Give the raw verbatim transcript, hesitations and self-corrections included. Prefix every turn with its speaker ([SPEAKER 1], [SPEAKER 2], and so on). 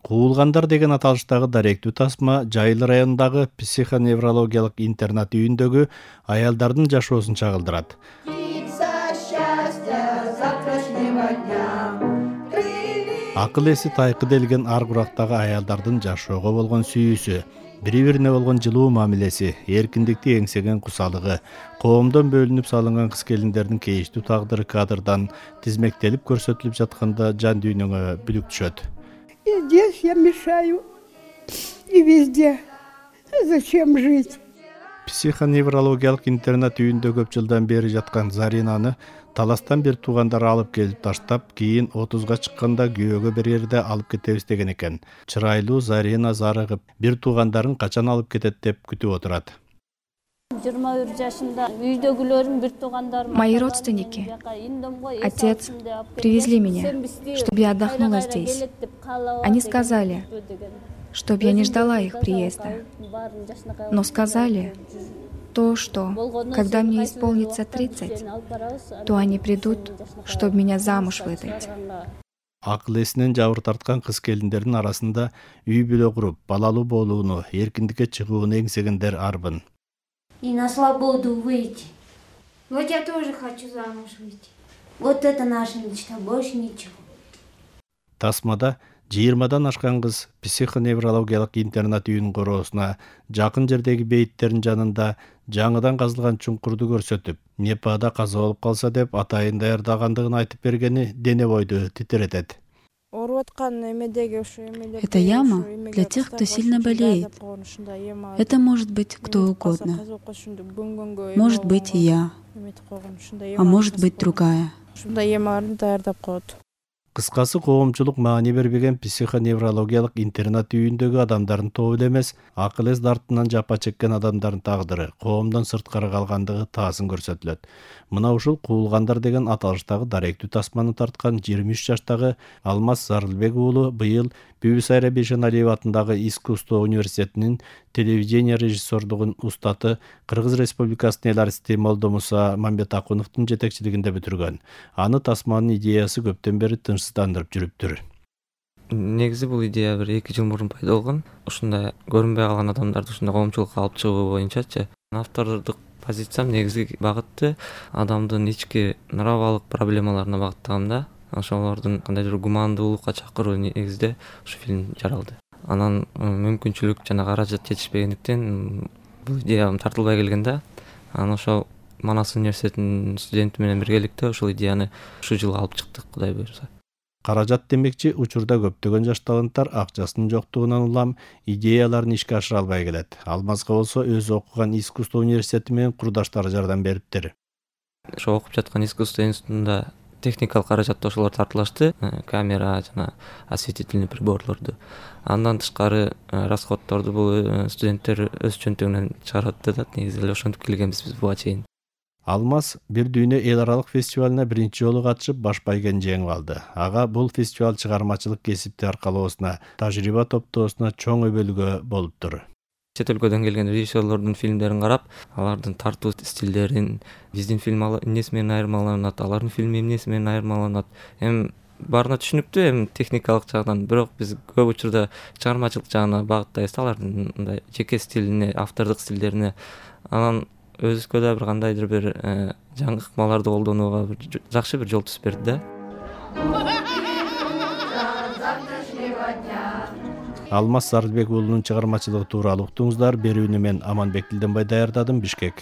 [SPEAKER 1] Куулгандар деген аталыштагы даректүү тасма Жайыл районундагы психоневрологиялык интернат үйүндөгү аялдардын жашоосун чагылдырат. Акыл эси тайкы делген ар курактагы аялдардын жашоого болгон сүйүүсү, бири-бирине болгон жылуу мамилеси, эркиндикти эңсеген кусалыгы, коомдон бөлүнүп салынган кыз-келиндердин кейиштүү тагдыры кадрдан тизмектелип көрсөтүлүп жатканда жан дүйнөңө бүлүк түшөт.
[SPEAKER 2] И здесь я мешаю, и везде. Зачем жить?
[SPEAKER 1] Психоневрологиялык интернат үйүндө көп жылдан бери жаткан Заринаны таластан бир туугандар алып келип таштап, кийин отузга чыкканда күйөөгө берерде алып кетебиз деген экен. Чырайлуу Зарина зарыгып, бир туугандарын качан алып кетет деп күтүп отурат.
[SPEAKER 3] жыйырма бир жашында үйдөгүлөрүм, бир туугандарым.
[SPEAKER 4] Мои родственники, отец, привезли меня, чтобы я отдохнула здесь. Они сказали, чтобы я не ждала их приезда, но сказали то, что когда мне исполнится тридцать, то они придут, чтобы меня замуж выдать.
[SPEAKER 1] Акыл эсинен жабыр тарткан кыз-келиндердин арасында үй бүлө куруп, балалуу болууну, эркиндикке чыгууну эңсегендер арбын.
[SPEAKER 5] И на свободу выйти. Вот я тоже хочу замуж выйти. Вот это наша мечта, больше ничего.
[SPEAKER 1] Тасмада жыйырмадан ашкан кыз психоневрологиялык интернат үйүнүн короосуна жакын жердеги бейиттердин жанында жаңыдан казылган чуңкурду көрсөтүп, Непада каза болуп калса деп атайын даярдагандыгын айтып бергени дене бойду титиретет.
[SPEAKER 6] Это яма для тех, кто сильно болеет. Это может быть кто угодно. Может быть и я, а может быть другая.
[SPEAKER 1] Кыскасы, коомчулук маани бербеген психоневрологиялык интернат үйүндөгү адамдардын тобу эле эмес, акыл эс дартынан жапа чеккен адамдардын тагдыры коомдон сырткары калгандыгы таасын көрсөтүлөт. Мына ушул Куулгандар деген аталыштагы даректүү тасманы тарткан жыйырма үч жаштагы Алмаз Зарылбек уулу быйыл Бибисайра Бейшеналиева атындагы Искусство университетинин телевидение режиссердугун устаты Кыргыз Республикасынын эл артисти Молдомуса Мамбетакуновдун жетекчилигинде бүтүргөн. Аны тасманын идеясы көптөн бери тынчсыздандырып жүрүптүр.
[SPEAKER 7] Негизи бул идея бир эки жыл мурун пайда болгон. Ушундай көрүнбөй калган адамдарды ушундай коомчулукка алып чыгуу боюнчачы. Автордук позициям негизги багыты адамдын ички нравалык проблемаларына багыттагам да. Ошолордун кандайдыр гумандуулукка чакыруу негизде ушу фильм жаралды. Анан мүмкүнчүлүк жана каражат жетишпегендиктен бул идеям тартылбай келген да. Анан ошол Манас университетинин студенти менен биргеликте ушул идеяны ушу жылы алып чыктык, Кудай буйрса.
[SPEAKER 1] Каражат демекчи, учурда көптөгөн жаш таланттар акчасынын жоктугунан улам идеяларын ишке ашыра албай келет. Алмазга болсо өзү окуган Искусство университети менен курдаштары жардам бериптир.
[SPEAKER 7] Ошо окуп жаткан Искусство институтунда техникалык каражатты ошолор тартылашты, камера жана осветительный приборлорду. Андан тышкары расходторду бул студенттер өз чөнтөгүнөн чыгарат да, негизи эле ошентип келгенбиз биз буга чейин.
[SPEAKER 1] Алмаз бир дүйнө эл аралык фестивалына биринчи жолу катышып баш байгени жеңип алды. Ага бул фестиваль чыгармачылык кесипти аркалоосуна, тажрыйба топтоосуна чоң өбөлгө болуптур.
[SPEAKER 7] Чет өлкөдөн келген режиссерлордун фильмдерин карап, алардын тартуу стилдерин, биздин фильм эмнеси менен айырмаланат, алардын фильми эмнеси менен айырмаланат. Эми баарына түшүнүктүү, эми техникалык жагдан, бирок биз көп учурда чыгармачылык жагына багыттайбыз, алардын мындай жеке стилине, автордук стилдерине. Анан өзүбүзгө да бир кандайдыр бир жаңы ыкмаларды колдонууга бир жакшы бир жол түзүп берди да.
[SPEAKER 1] Алмаз Зарылбек уулунун чыгармачылыгы тууралуу уктуңуздар. Берүүнү мен Аманбек Дилденбай даярдадым. Бишкек.